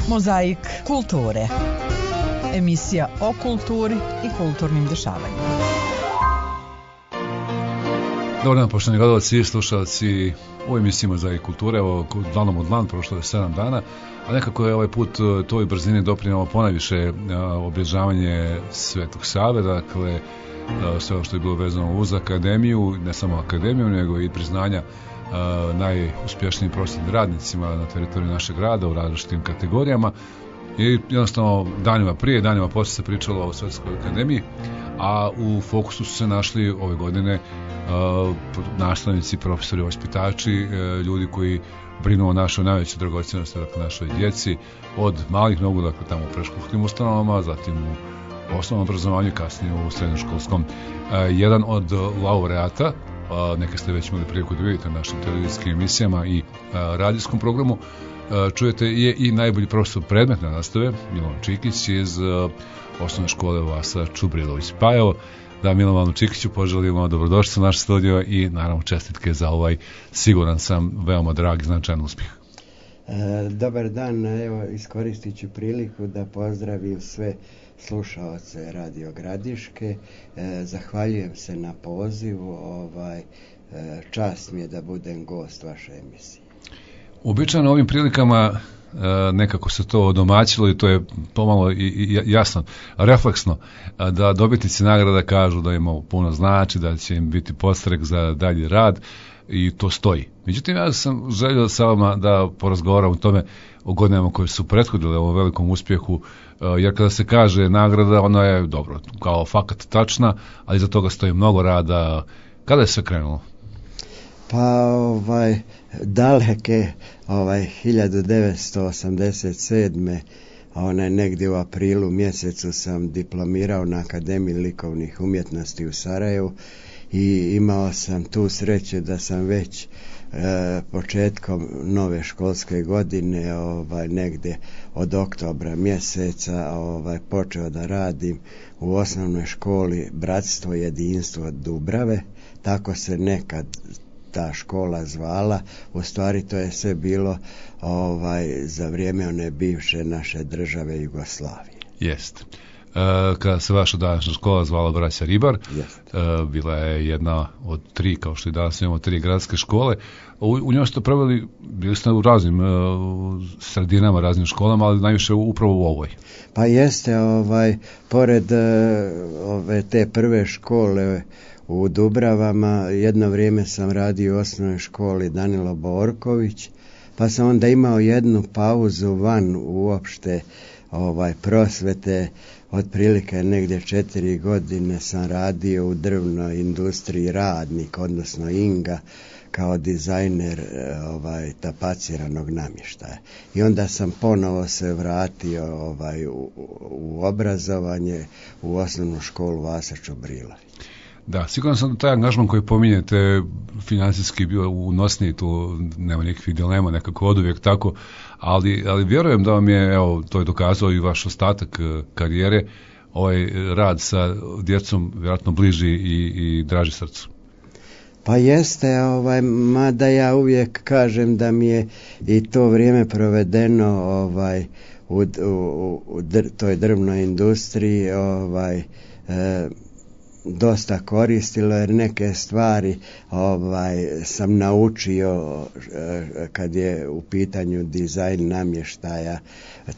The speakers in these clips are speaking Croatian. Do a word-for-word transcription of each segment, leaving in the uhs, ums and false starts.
Mozaik kulture. Emisija o kulturi i kulturnim dešavanjima. Dobar dan, poštovani gledalci i slušalci u emisiji Mozaik kulture. Evo, dlanom od dlan, prošlo je sedam dana, a nekako je ovaj put toj brzini doprinjelo ponajviše obilježavanje Svetog Save, dakle, sve ono što je bilo vezano uz akademiju, ne samo akademiju, nego i priznanja Uh, najuspješnijim prosvjetnim radnicima na teritoriju našeg grada u različitim kategorijama. I jednostavno danima prije, danima poslije se pričalo o Svetskoj akademiji, a u fokusu su se našli ove godine uh, nastavnici, profesori, vaspitači, uh, ljudi koji brinu o našoj najvećoj dragocjenosti, dakle našoj djeci, od malih nogu, dakle tamo u predškolskim ustanovama, zatim u osnovnom obrazovanju, kasnije u srednjoškolskom. Uh, jedan od laureata, Uh, neke ste već imali priliku da vidite na našim televizijskim emisijama i uh, radijskom programu, uh, čujete je i najbolji profesor predmetne nastave, Milovan Čikić iz uh, osnovne škole Vasa Čubrilović. Pa evo, da Milovanu Čikiću poželimo dobrodošli u naš studio i naravno čestitke za ovaj, siguran sam, veoma drag i značajan uspjeh. E, dobar dan, evo iskoristit ću priliku da pozdravim sve slušaoce Radio Gradiške. E, zahvaljujem se na pozivu, ovaj, e, čast mi je da budem gost vaše emisije. Uobičajeno ovim prilikama e, nekako se to odomaćilo i to je pomalo i, i jasno, refleksno, da dobitnici nagrada kažu da im ovo puno znači, da će im biti podstrek za dalji rad i to stoji. Međutim, ja sam želio sa vama da porazgovaram o tome, o godinama koje su prethodile ovom velikom uspjehu, jer kada se kaže nagrada, ona je dobro, kao fakat tačna, ali iza toga stoji mnogo rada. Kada je sve krenulo? Pa ovaj daleke ovaj hiljadu devetsto osamdeset sedme onaj negdje u aprilu mjesecu sam diplomirao na Akademiji likovnih umjetnosti u Sarajevu i imao sam tu sreću da sam već e, početkom nove školske godine ovaj negdje od oktobra mjeseca ovaj počeo da radim u osnovnoj školi Bratstvo jedinstvo Dubrave, tako se nekad ta škola zvala. U stvari to je sve bilo ovaj za vrijeme one bivše naše države Jugoslavije. Jest. E, kada se vaša današnja škola zvala Braća Ribar, e, bila je jedna od tri, kao što i danas imamo tri gradske škole. U, u njoj ste proveli, bili ste u raznim e, sredinama, raznim školama, ali najviše upravo u ovoj. Pa jeste, ovaj, pored e, ove te prve škole u Dubravama, jedno vrijeme sam radio u osnovnoj školi Danilo Borković, pa sam onda imao jednu pauzu van uopšte ovaj prosvete. Otprilike negdje četiri godine sam radio u drvnoj industriji Radnik, odnosno Inga, kao dizajner ovaj tapaciranog namještaja. I onda sam ponovo se vratio ovaj u, u obrazovanje u osnovnu školu Vasa Čubrilović. Da, sigurno sam da taj angažman koji pominjete financijski bio unosniji, tu nema nikakvih dilema, nekako od uvijek tako, ali, ali vjerujem da vam je, evo, to je dokazao i vaš ostatak karijere, ovaj rad sa djecom vjerojatno bliži i, i draži srcu. Pa jeste, ovaj, mada ja uvijek kažem da mi je i to vrijeme provedeno ovaj, u, u, u dr, toj drvnoj industriji ovaj, e, dosta koristilo, jer neke stvari ovaj sam naučio kad je u pitanju dizajn namještaja,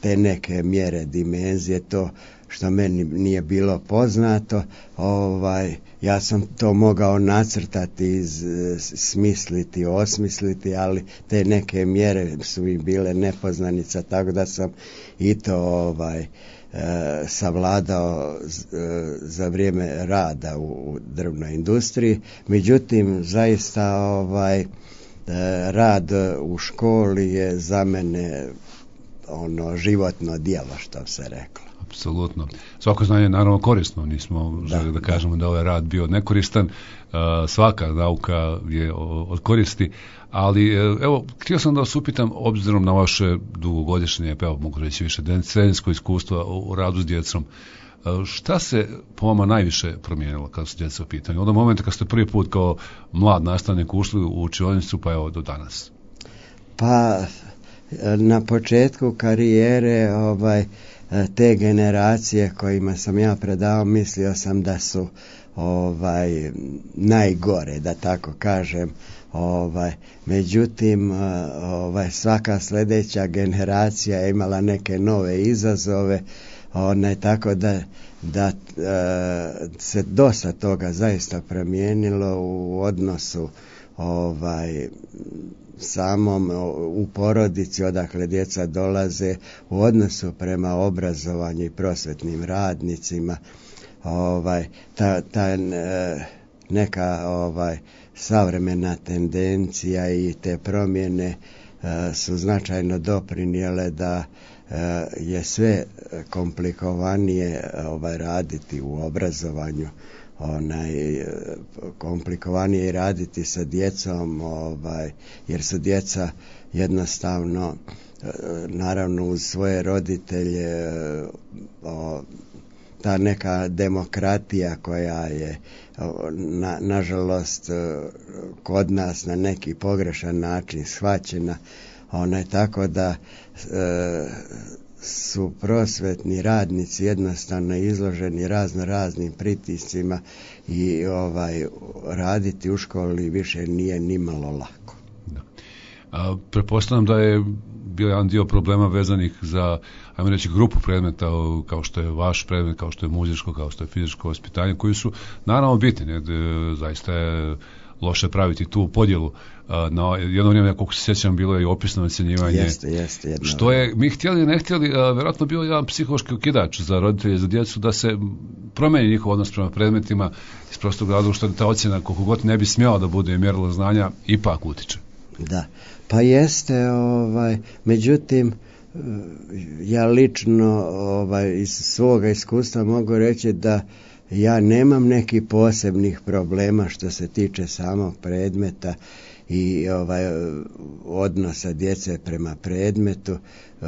te neke mjere, dimenzije, to što meni nije bilo poznato, ovaj ja sam to mogao nacrtati, iz, smisliti, osmisliti, ali te neke mjere su mi bile nepoznanica, tako da sam i to ovaj E, savladao z, e, za vrijeme rada u, u drvnoj industriji. Međutim, zaista ovaj e, rad u školi je za mene ono životno djelo, što se reklo. Apsolutno. Svako znanje je naravno korisno, nismo želi da, da kažemo da ovaj rad bio nekoristan, uh, svaka nauka je od koristi, ali evo, htio sam da vas upitam, obzirom na vaše dugogodišnje, evo mogu reći više decenijsko iskustvo u radu s djecom, uh, šta se po vama najviše promijenilo kada su djeca u pitanju? Od momenta kad ste prvi put kao mlad nastavnik ušli u učionicu pa evo do danas. Pa na početku karijere ovaj te generacije kojima sam ja predavao, mislio sam da su ovaj najgore, da tako kažem. Ovaj, međutim, ovaj, svaka sljedeća generacija je imala neke nove izazove, onaj, tako da, da e, se dosta toga zaista promijenilo u odnosu ovaj, samom u porodici odakle djeca dolaze, u odnosu prema obrazovanju i prosvetnim radnicima. Ovaj, ta, ta e, neka ovaj, savremena tendencija i te promjene e, su značajno doprinijele da e, je sve komplikovanije ovaj, raditi u obrazovanju, onaj, komplikovanije raditi sa djecom, ovaj, jer su djeca jednostavno, naravno uz svoje roditelje, o, ta neka demokratija koja je na, nažalost kod nas na neki pogrešan način shvaćena, onaj, tako da e, su prosvetni radnici jednostavno izloženi razno raznim pritiscima i ovaj raditi u školi više nije nimalo lako. Da. A, pretpostavljam da je bio jedan dio problema vezanih za, ajmo reći, grupu predmeta kao što je vaš predmet, kao što je muzičko, kao što je fizičko vaspitanje, koji su naravno bitni, ne? Zaista je loše praviti tu podjelu. Na jedno vrijeme, koliko se sjećam, bilo je i opisno ocjenjivanje. Jeste, jeste. Jedno. Što je, mi htjeli, ne htjeli, vjerojatno bio jedan psihološki okidač za roditelje, za djecu, da se promijeni njihov odnos prema predmetima iz prostog razloga što ta ocjena, koliko god ne bi smjela da bude mjerilo znanja, ipak utiče. Da, pa jeste, ovaj, međutim, ja lično ovaj, iz svoga iskustva mogu reći da ja nemam nekih posebnih problema što se tiče samog predmeta i ovaj odnosa djece prema predmetu. E,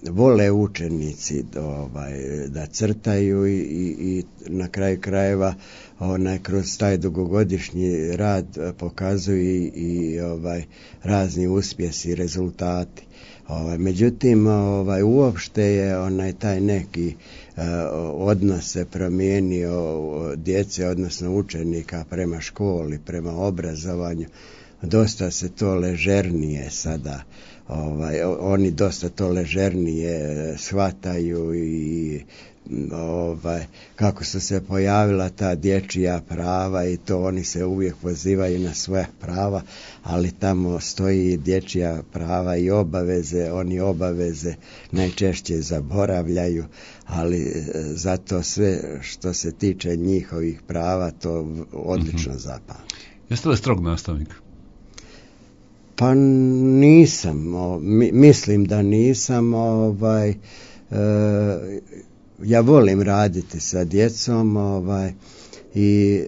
vole učenici ovaj, da crtaju i, i, i na kraju krajeva onaj, kroz taj dugogodišnji rad pokazuju i, i ovaj, razni uspjesi i rezultati. Ovaj, međutim, ovaj, uopšte je onaj taj neki uh, odnos se promijenio djece, odnosno učenika prema školi, prema obrazovanju. Dosta se to ležernije sada, ovaj, oni dosta to ležernije shvataju i ovaj, kako su se pojavila ta dječja prava i to oni se uvijek pozivaju na svoja prava, ali tamo stoji dječja prava i obaveze, oni obaveze najčešće zaboravljaju, ali zato sve što se tiče njihovih prava to odlično mm-hmm. zapamti. Jeste li strog nastavnik? Pa nisam, o, mi, mislim da nisam, ovaj, e, ja volim raditi sa djecom, ovaj, i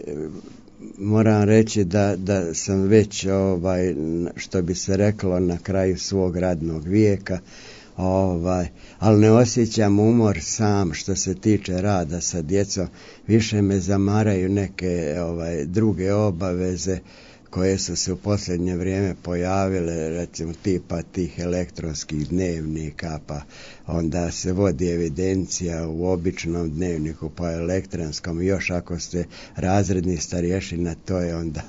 moram reći da, da sam već, ovaj, što bi se reklo, na kraju svog radnog vijeka, ovaj, ali ne osjećam umor sam što se tiče rada sa djecom, više me zamaraju neke ovaj, druge obaveze koje su se u posljednje vrijeme pojavile, recimo tipa tih elektronskih dnevnika, pa onda se vodi evidencija u običnom dnevniku, pa elektronskom, još ako ste razredni starješina, to je onda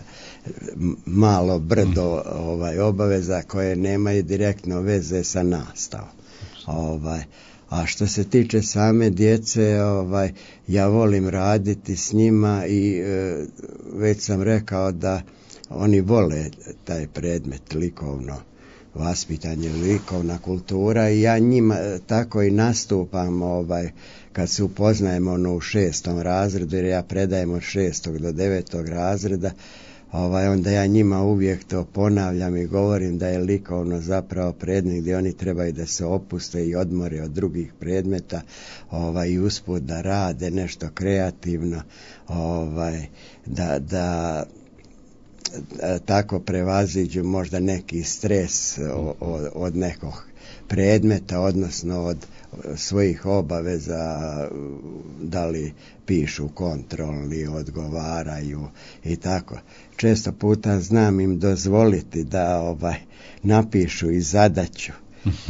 malo brdo ovaj, obaveza koje nemaju direktno veze sa nastavom. Ovaj, a što se tiče same djece, ovaj, ja volim raditi s njima i e, već sam rekao da oni vole taj predmet likovno vaspitanje, likovna kultura i ja njima tako i nastupam ovaj, kad se upoznajemo ono, u šestom razredu, jer ja predajem od šestog do devetog razreda, ovaj, onda ja njima uvijek to ponavljam i govorim da je likovno zapravo predmet gdje oni trebaju da se opuste i odmore od drugih predmeta, ovaj, i usput da rade nešto kreativno, ovaj, da, da tako prevaziđu možda neki stres od, od nekog predmeta, odnosno od svojih obaveza, da li pišu kontrolni, odgovaraju i tako. Često puta znam im dozvoliti da ovaj napišu i zadaću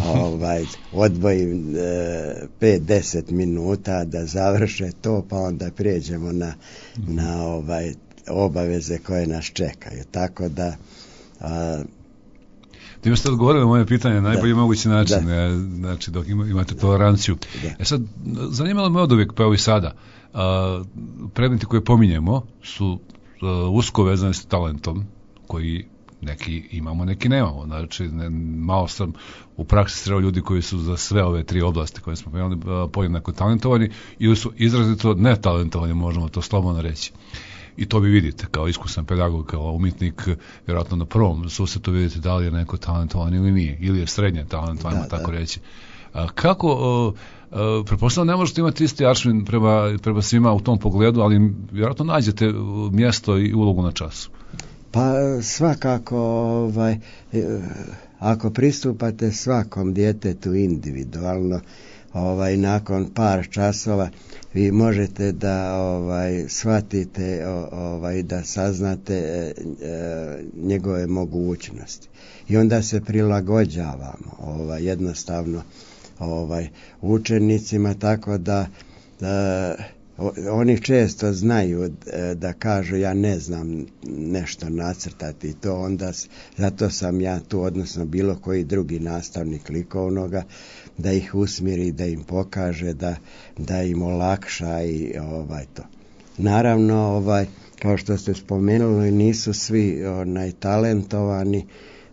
ovaj, odvojim e, pet do deset minuta da završe to, pa onda prijeđemo na, na ovaj, obaveze koje nas čekaju. Tako da a, Time ste odgovorili na moje pitanje na najbolji da, mogući način, da. Znači dok imate toleranciju. Da. E sad, zanimalo me od uvijek, pa evo i sada, a, predmeti koje pominjemo su a, usko vezani s talentom, koji neki imamo, neki nemamo. Znači, ne, malo sam u praksi sreo ljudi koji su za sve ove tri oblasti koje smo pomenuli podjednako talentovani ili su izrazito netalentovani, možemo to slobodno reći. I to vi vidite kao iskusan pedagog, kao umjetnik, vjerojatno na prvom susretu vidite da li je neko talentovan ili nije, ili je srednje talentovan, da, tako da. reći. A kako, uh, uh, pretpostavljam ne možete imati isti aršin prema, prema svima u tom pogledu, ali vjerojatno nađete mjesto i ulogu na času. Pa svakako, ovaj, ako pristupate svakom djetetu individualno, ovaj, nakon par časova vi možete da ovaj, shvatite, ovaj, da saznate e, e, njegove mogućnosti. I onda se prilagođavamo ovaj, jednostavno ovaj, učenicima, tako da, da oni često znaju da kažu ja ne znam nešto nacrtati, to onda zato sam ja tu, odnosno bilo koji drugi nastavnik likovnoga, da ih usmjeri, da im pokaže, da, da im olakša i ovaj to. Naravno, ovaj, kao što ste spomenuli, nisu svi onaj talentovani,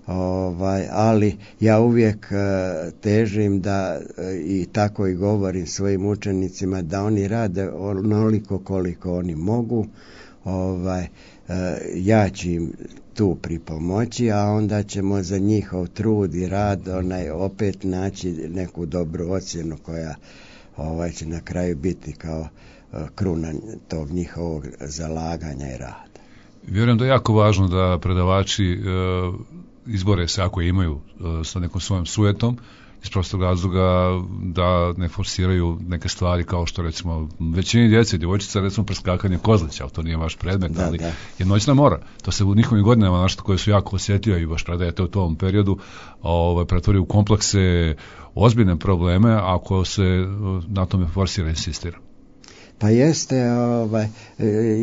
ovaj, ali ja uvijek uh, težim da uh, i tako i govorim svojim učenicima da oni rade onoliko koliko oni mogu, ovaj, uh, ja ću im tu pripomoći, a onda ćemo za njihov trud i rad onaj opet naći neku dobru ocjenu koja ovaj, će na kraju biti kao uh, kruna tog njihovog zalaganja i rada. Vjerujem da je jako važno da predavači uh, izbore se ako imaju uh, sa nekom svojom sujetom, iz prostog razloga da ne forsiraju neke stvari kao što recimo većini djece, djevojčica recimo preskakanje kozlića, ali to nije vaš predmet, da, ali da. je noćna mora. To se u njihovim godinama nešto koje su jako osjetljive i baš predajete u tom periodu ovaj, pretvori u komplekse, ozbiljne probleme ako se na tome forsira insistira. Pa jeste, ovaj,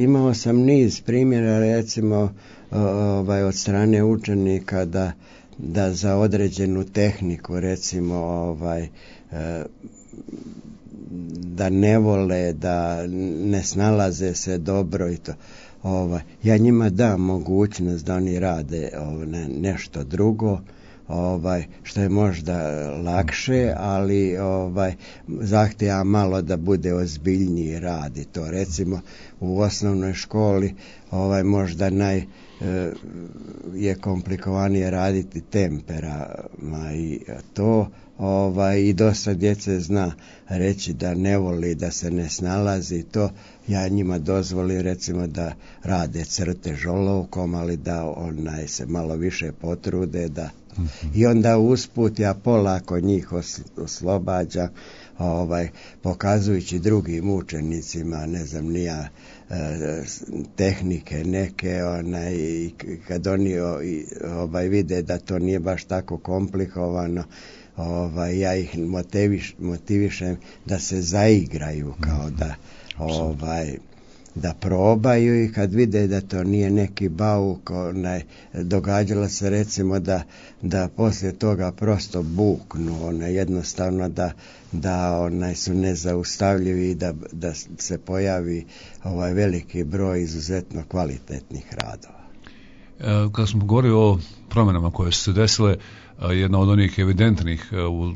imao sam niz primjera recimo ovaj, od strane učenika da da za određenu tehniku recimo ovaj da ne vole, da ne snalaze se dobro i to. Ovaj ja njima dam mogućnost da oni rade ovaj, nešto drugo, ovaj što je možda lakše, ali ovaj zahtijeva malo da bude ozbiljniji rad i to recimo u osnovnoj školi ovaj možda naj je komplikovanije raditi temperama i to ovaj i dosta djece zna reći da ne voli, da se ne snalazi, to ja njima dozvolim recimo da rade crtež olovkom, ali da onaj se malo više potrude da mm-hmm. i onda usput ja polako njih oslobađam, ovaj pokazujući drugim učenicima, ne znam ni ja, tehnike neke, onaj, kad oni ovaj vide da to nije baš tako komplikovano, ovaj ja ih motiviš, motivišem da se zaigraju, kao da ovaj da probaju, i kad vide da to nije neki bauk, onaj, događalo se recimo da, da poslije toga prosto buknu, onaj, jednostavno da, da onaj, su nezaustavljivi i da, da se pojavi ovaj veliki broj izuzetno kvalitetnih radova. E, kada smo govorili o promjenama koje su se desile, jedna od onih evidentnih u,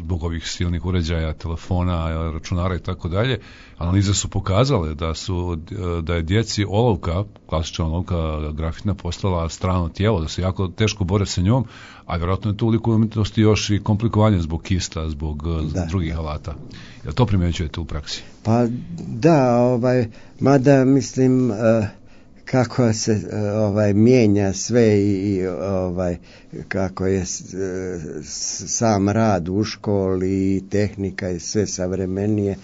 zbog ovih silnih uređaja, telefona, računara i tako dalje, analize su pokazale da su da je djeci olovka, klasična olovka grafitna, postala strano tijelo, da se jako teško bore sa njom, a vjerojatno je to u likovnoj umjetnosti još i komplikovanje zbog kista, zbog da, drugih da. alata. Jel to primjećujete u praksi? Pa da, ovaj, mada mislim uh, kako se ovaj mijenja sve i ovaj kako je sam rad u školi i tehnika i sve savremenije,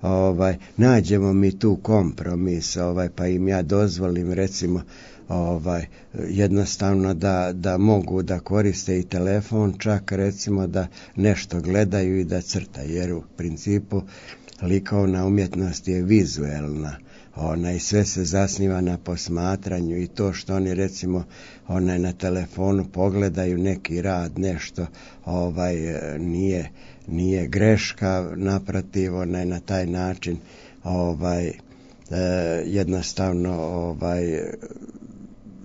ovaj nađemo mi tu kompromis, ovaj pa im ja dozvolim recimo ovaj jednostavno da, da mogu da koriste i telefon, čak recimo da nešto gledaju i da crtaju, jer u principu likovna umjetnost je vizuelna. Onaj, sve se zasniva na posmatranju i to što oni recimo onaj, na telefonu pogledaju neki rad, nešto ovaj, nije, nije greška, naprotiv, onaj, na taj način ovaj, e, jednostavno ovaj,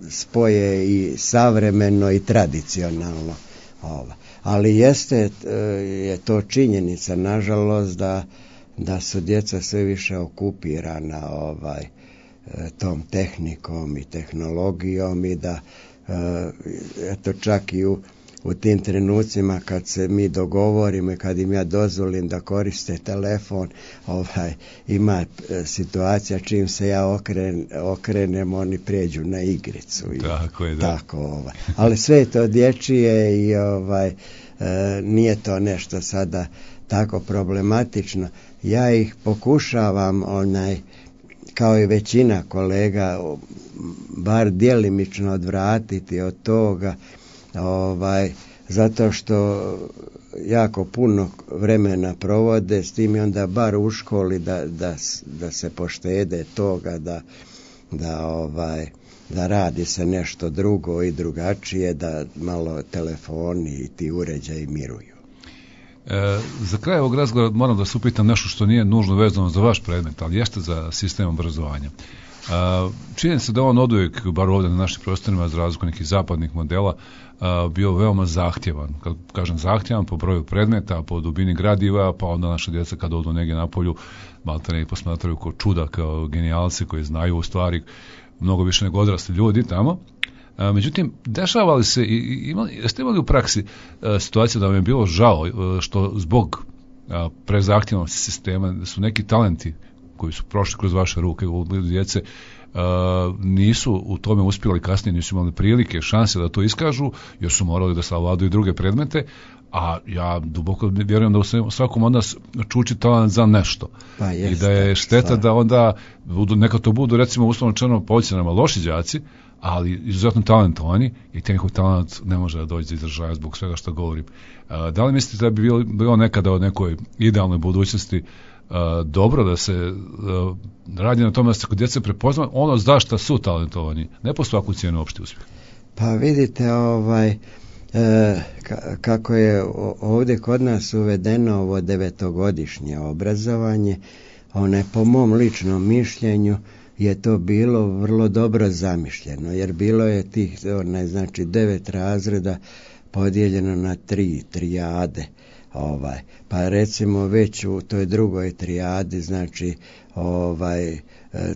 spoje i savremeno i tradicionalno. Ovaj. Ali jeste je to činjenica, nažalost, da da su djeca sve više okupirana ovaj tom tehnikom i tehnologijom i da eto čak i u, u tim trenucima kad se mi dogovorimo i kad im ja dozvolim da koriste telefon, ovaj ima situacija čim se ja okren, okrenem, oni prijeđu na igricu i tako je, da. Tako ovaj. Ali sve je to dječije i ovaj e, nije to nešto sada tako problematično. Ja ih pokušavam onaj, kao i većina kolega, bar djelimično odvratiti od toga, ovaj, zato što jako puno vremena provode s tim i onda bar u školi da, da, da se poštede toga, da, da, ovaj, da radi se nešto drugo i drugačije, da malo telefoni i ti uređaji miruju. E, za kraj ovog razgovora moram da se upitam nešto što nije nužno vezano za vaš predmet, ali jeste za sistem obrazovanja. E, čini se da on oduvijek, bar ovdje na našim prostorima, za razliku nekih zapadnih modela, a, bio veoma zahtjevan. Kad kažem zahtjevan, po broju predmeta, po dubini gradiva, pa onda naša djeca kad odu negdje na polju, maltene i posmatraju kao čuda, kao genijalci koji znaju u stvari mnogo više nego odrasli ljudi tamo. A, međutim, dešava li se, i, imali, jeste imali u praksi a, situacija da vam je bilo žao a, što zbog a, prezahtjevnosti sistema su neki talenti koji su prošli kroz vaše ruke u obliku djece a, nisu u tome uspjeli kasnije, nisu imali prilike, šanse da to iskažu, jer su morali da savladaju druge predmete, a ja duboko vjerujem da u svakom od nas čuči talent za nešto. Pa jest, i da je šteta stvar. Da onda budu, neka to budu recimo uslovno rečeno po ocjenama loši đaci, ali izuzetno talentovani i taj njihov talent ne može da dođe do izražaja zbog svega što govorim. A, da li mislite da bi bilo, bilo nekada od nekoj idealnoj budućnosti a, dobro da se a, radi na tome da se kod djece prepozna ono zašto su talentovani, ne po svaku cijenu opšti uspjeh? Pa vidite, ovaj E, kako je ovdje kod nas uvedeno ovo devetogodišnje obrazovanje, one po mom ličnom mišljenju je to bilo vrlo dobro zamišljeno, jer bilo je tih one, znači devet razreda podijeljeno na tri trijade. Ovaj, pa recimo već u toj drugoj trijadi, znači ovaj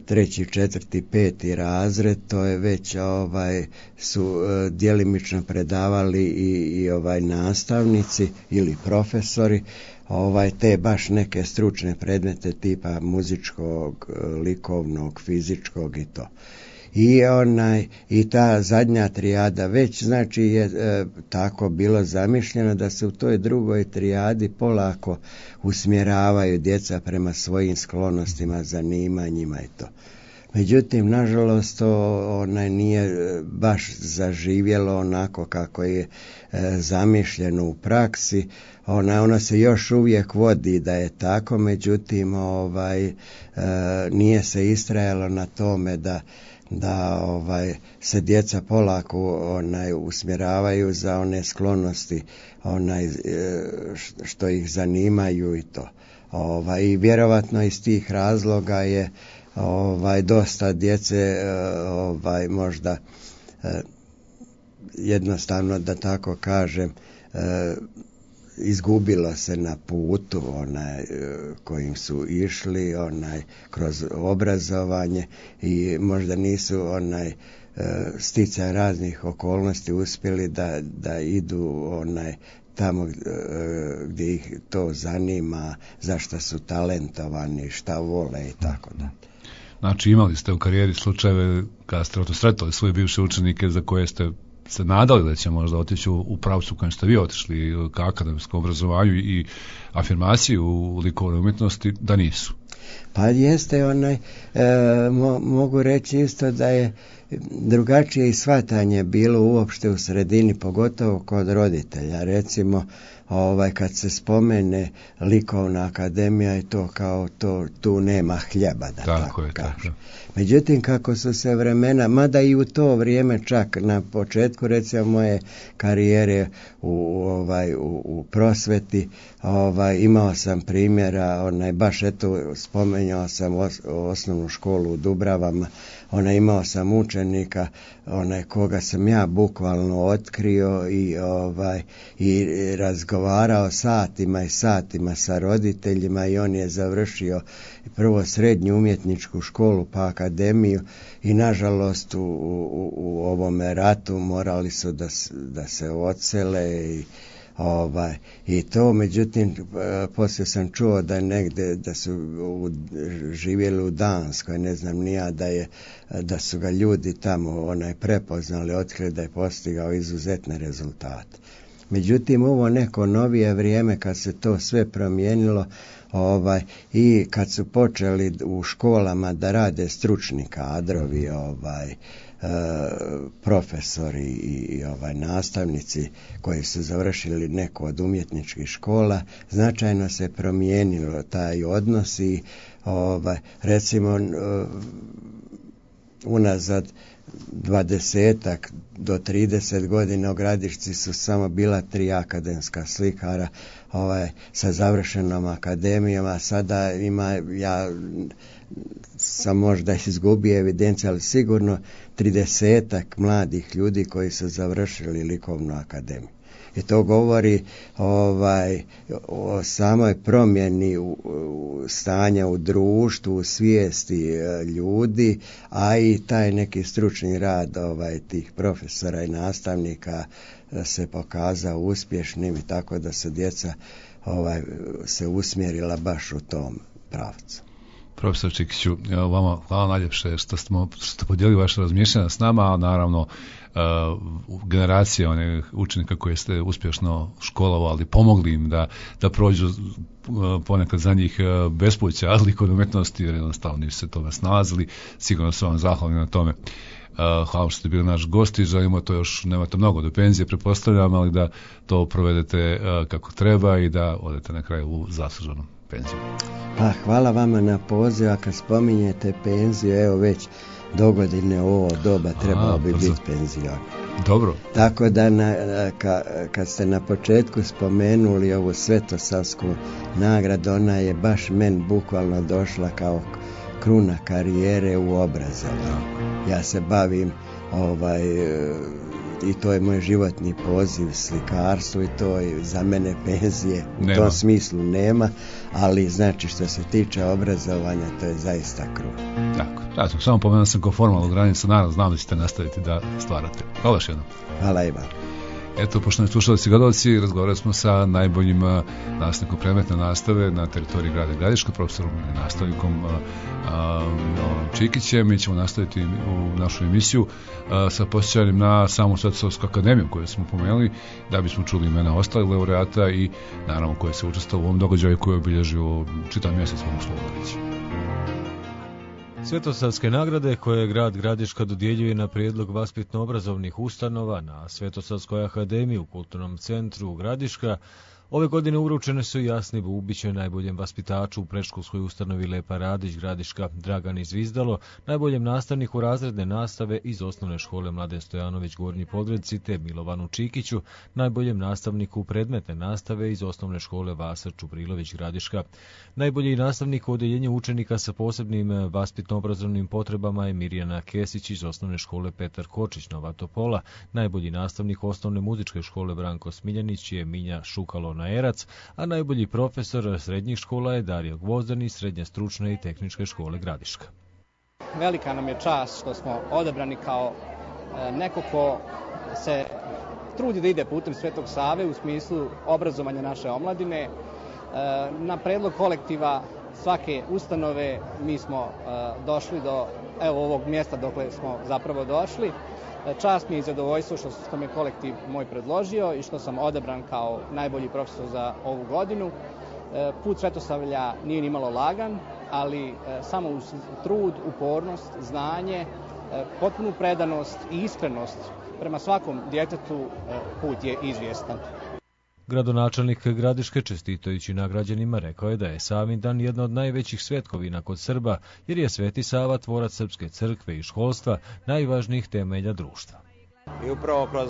treći, četvrti, peti razred, to je već ovaj su djelimično predavali i, i ovaj nastavnici ili profesori, ovaj te baš neke stručne predmete tipa muzičkog, likovnog, fizičkog i to. I onaj i ta zadnja trijada već znači je e, tako bilo zamišljeno da se u toj drugoj trijadi polako usmjeravaju djeca prema svojim sklonostima, zanimanjima i to. Međutim, nažalost, to onaj nije baš zaživjelo onako kako je e, zamišljeno u praksi. Ona, ona se još uvijek vodi da je tako, međutim, ovaj, e, nije se istrajalo na tome da da ovaj se djeca polako onaj usmjeravaju za one sklonosti onaj što ih zanimaju i to. Ovaj i vjerovatno iz tih razloga je ovaj dosta djece ovaj možda jednostavno da tako kažem izgubilo se na putu onaj kojim su išli onaj kroz obrazovanje i možda nisu onaj sticaj raznih okolnosti uspjeli da, da idu onaj tamo gdje ih to zanima, zašto su talentovani, šta vole i tako da. Znači imali ste u karijeri slučajeve kada ste sretali svoje bivše učenike za koje ste se nadali da će možda otići u, u pravcu kojem ste vi otišli ka akademskom obrazovanju i afirmaciji u likovnoj umjetnosti, da nisu? Pa jeste onaj, e, mo, mogu reći isto da je drugačije i shvatanje bilo uopšte u sredini, pogotovo kod roditelja. Recimo, ovaj, kad se spomene likovna akademija i to kao to, tu nema hljeba, da tako, tako je, kažem. Tako. Međutim, kako su se vremena, mada i u to vrijeme čak na početku, recimo, moje karijere u, ovaj, u, u prosveti, ovaj, imao sam primjera, onaj, baš eto, spomenuo sam os, osnovnu školu u Dubravama, onaj, imao sam učenika, onaj, koga sam ja bukvalno otkrio i, ovaj, i razgovarao satima i satima sa roditeljima i on je završio prvo srednju umjetničku školu pa akademiju i nažalost u, u, u ovome ratu morali su da, da se odsele i ovaj i to, međutim poslije sam čuo da negde da su u, živjeli u Danskoj, ne znam ni ja, da je da su ga ljudi tamo onaj prepoznali, otkrili da je postigao izuzetne rezultate. Međutim, ovo neko novije vrijeme kad se to sve promijenilo, ovaj i kad su počeli u školama da rade stručni kadrovi, ovaj e, profesori i, i ovaj nastavnici koji su završili neku od umjetničkih škola, značajno se promijenilo taj odnos i ovaj recimo unazad dvadesetak do trideset godina u Gradišci su samo bila tri akademska slikara ovaj, sa završenom akademijom, a sada ima, ja sam možda izgubio evidenciju, ali sigurno tridesetak mladih ljudi koji su završili likovnu akademiju. I to govori ovaj, o samoj promjeni u, u stanja u društvu, u svijesti ljudi, a i taj neki stručni rad ovaj, tih profesora i nastavnika se pokazao uspješnim i tako da su djeca ovaj, se usmjerila baš u tom pravcu. Profesor Čikiću, vama hvala najljepše što ste, što ste podijelili vaše razmišljanja s nama, a naravno Uh, generacije onih učenika koje ste uspješno školovali, pomogli im da, da prođu uh, ponekad za njih uh, bespuća, ali kod umjetnosti, jer jednostavno nisu se toga snalazili, sigurno su vam zahvalni na tome. Uh, hvala što ste bili naš gost i želimo to još, nemate mnogo do penzije, pretpostavljam, ali da to provedete uh, kako treba i da odete na kraju u zasluženu penziju. Pa, hvala vama na poziv, a kad spominjete penziju, evo već dogodine u ovo doba trebao bi biti penzion. Dobro. Tako da na, ka, kad ste na početku spomenuli ovu Svetosavsku nagradu, ona je baš meni bukvalno došla kao kruna karijere u obrazovanju. Ja se bavim ovaj i to je moj životni poziv, slikarstvo, i to je za mene penzije u nema. Tom smislu nema, ali znači što se tiče obrazovanja to je zaista kruna. Tako, ja sam samo pomenuo sam kao formalnu granicu, naravno znam da ćete nastaviti da stvarate. Hvala još jednom. Hvala i vam. Eto, poštovani slušalci i gledalci, razgovarali smo sa najboljim nastavnikom predmetne nastave na teritoriji grada Gradiška, profesorom i nastavnikom a, a, Čikićem. Mi ćemo nastaviti u našu emisiju a, sa posjećanjem na samu Svetosavsku akademiju koju smo pomenuli, da bismo čuli imena ostalih laureata i naravno koje se učestvovalo u ovom događaju koji je obilježio čitav mjesec, mogu slobodno reći. Svetosavske nagrade koje grad Gradiška dodjeljuje na prijedlog vaspitno-obrazovnih ustanova na Svetosavskoj akademiji u Kulturnom centru Gradiška ove godine uručene su Jasni Bubiću, najboljem vaspitaču u predškolskoj ustanovi Lepa Radić Gradiška, Dragani Zvizdalo, najboljem nastavniku razredne nastave iz osnovne škole Mladen Stojanović Gornji Podgredci, te Milovanu Čikiću, najboljem nastavniku predmetne nastave iz osnovne škole Vasa Čubrilović Gradiška. Najbolji nastavnik u odeljenju učenika sa posebnim vaspitno-obrazovnim potrebama je Mirjana Kesić iz osnovne škole Petar Kočić Nova Topola, najbolji nastavnik osnovne muzičke škole Branko Smiljanić je Minja Šukalo na Erac, a najbolji profesor srednjih škola je Dario Gvozdan iz Srednje stručne i tehničke škole Gradiška. Velika nam je čast što smo odabrani kao neko ko se trudi da ide putem Svetog Save u smislu obrazovanja naše omladine. Na predlog kolektiva svake ustanove mi smo došli do evo ovog mjesta dokle smo zapravo došli. Čast mi je i zadovoljstvo što, što me kolektiv moj predložio i što sam odabran kao najbolji profesor za ovu godinu. Put Svetosavlja nije ni malo lagan, ali samo uz trud, upornost, znanje potpunu predanost i iskrenost prema svakom djetetu, put je izvjestan. Gradonačelnik Gradiške, čestitajući nagrađenima, rekao je da je Savindan jedna od najvećih svetkovina kod Srba, jer je Sveti Sava, tvorac srpske crkve i školstva, najvažnijih temelja društva. I upravo kroz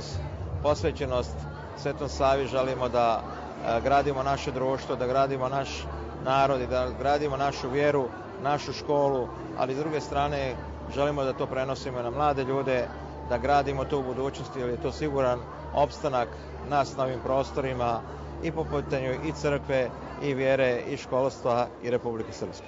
posvećenost Svetom Savi želimo da gradimo naše društvo, da gradimo naš narod i da gradimo našu vjeru, našu školu, ali s druge strane želimo da to prenosimo na mlade ljude, da gradimo to u budućnosti, jer je to siguran opstanak nas na ovim prostorima i po pitanju i crkve, i vjere, i školstva, i Republike Srpske.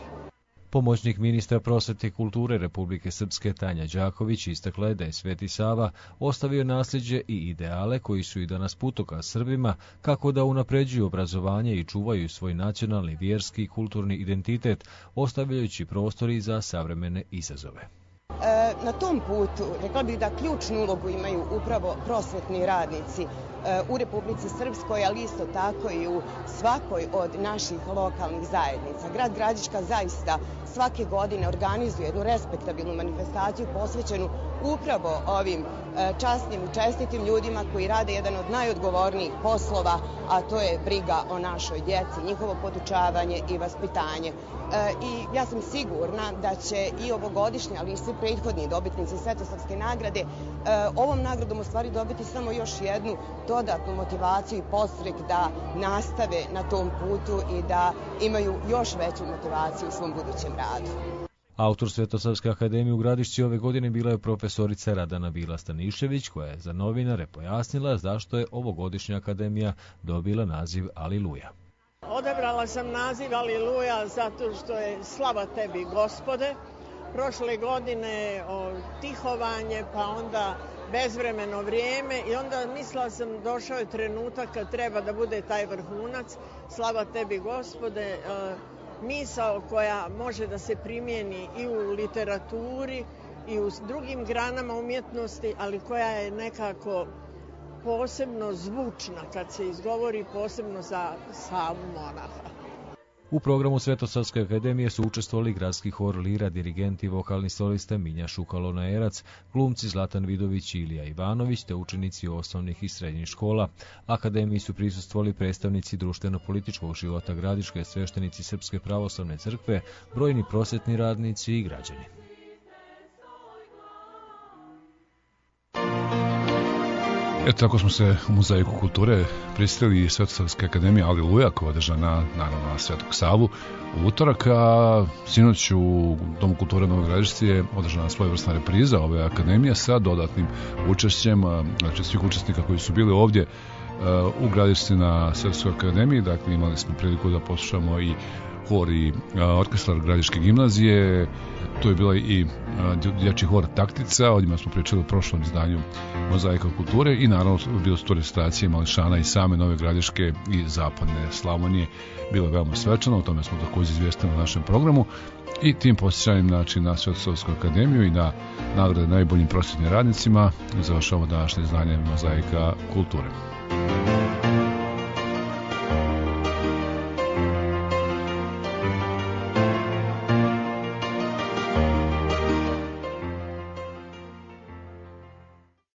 Pomoćnik ministra prosvete i kulture Republike Srpske Tanja Đaković istakla je da je Sveti Sava ostavio nasljeđe i ideale koji su i danas putokaz Srbima kako da unapređuju obrazovanje i čuvaju svoj nacionalni, vjerski i kulturni identitet, ostavljajući prostor i za savremene izazove. Na tom putu, rekla bih da ključnu ulogu imaju upravo prosvetni radnici u Republici Srpskoj, ali isto tako i u svakoj od naših lokalnih zajednica. Grad Gradiška zaista svake godine organizuje jednu respektabilnu manifestaciju posvećenu upravo ovim časnim i čestitim ljudima koji rade jedan od najodgovornijih poslova, a to je briga o našoj djeci, njihovo podučavanje i vaspitanje. I ja sam sigurna da će i ovogodišnji, ali i svi prethodni dobitnici Svetosavske nagrade ovom nagradom u stvari dobiti samo još jednu dodatnu motivaciju i podstrek da nastave na tom putu i da imaju još veću motivaciju u svom budućem radu. Autor Svetosavske akademije u Gradišci ove godine bila je profesorica Radana Bila Stanišević, koja je za novinare pojasnila zašto je ovogodišnja akademija dobila naziv Aliluja. Odabrala sam naziv Aliluja zato što je slava tebi, Gospode. Prošle godine o, tihovanje, pa onda bezvremeno vrijeme i onda mislila sam došao je trenutak kad treba da bude taj vrhunac, slava tebi, Gospode, e, misao koja može da se primijeni i u literaturi i u drugim granama umjetnosti, ali koja je nekako posebno zvučna kad se izgovori, posebno za Savu monaha. U programu Svetosavske akademije su učestvovali gradski hor Lira, dirigenti, vokalni solista Minja Šukalona-Erac, glumci Zlatan Vidović i Ilija Ivanović, te učenici osnovnih i srednjih škola. Akademiji su prisustvovali predstavnici društveno-političkog života Gradiške, sveštenici Srpske pravoslavne crkve, brojni prosvetni radnici i građani. Eto, tako smo se u Mozaiku kulture prisjetili Svetosavske akademije Aliluja, koja je održana naravno na Svetog Savu u utorak, a sinoć u Domu kulture Novog Gradišci je održana svojevrsna repriza ove akademije sa dodatnim učešćem, znači svih učesnika koji su bili ovdje u Gradišci na Svetosavskoj akademiji. Dakle, imali smo priliku da poslušamo i hor i orkestar Gradiške gimnazije, to je bila i dječji hor Taktica, o njima smo pričali u prošlom izdanju Mozaika kulture i naravno bilo su to recitacije mališana i same Nove Gradiške i Zapadne Slavonije. Bilo je veoma svečano, o tome smo također izvijestili u našem programu i tim posjećanjem znači, na Svetosavsku akademiju i na nagrade najboljim prosvjetnim radnicima završavamo današnje izdanje Mozaika kulture.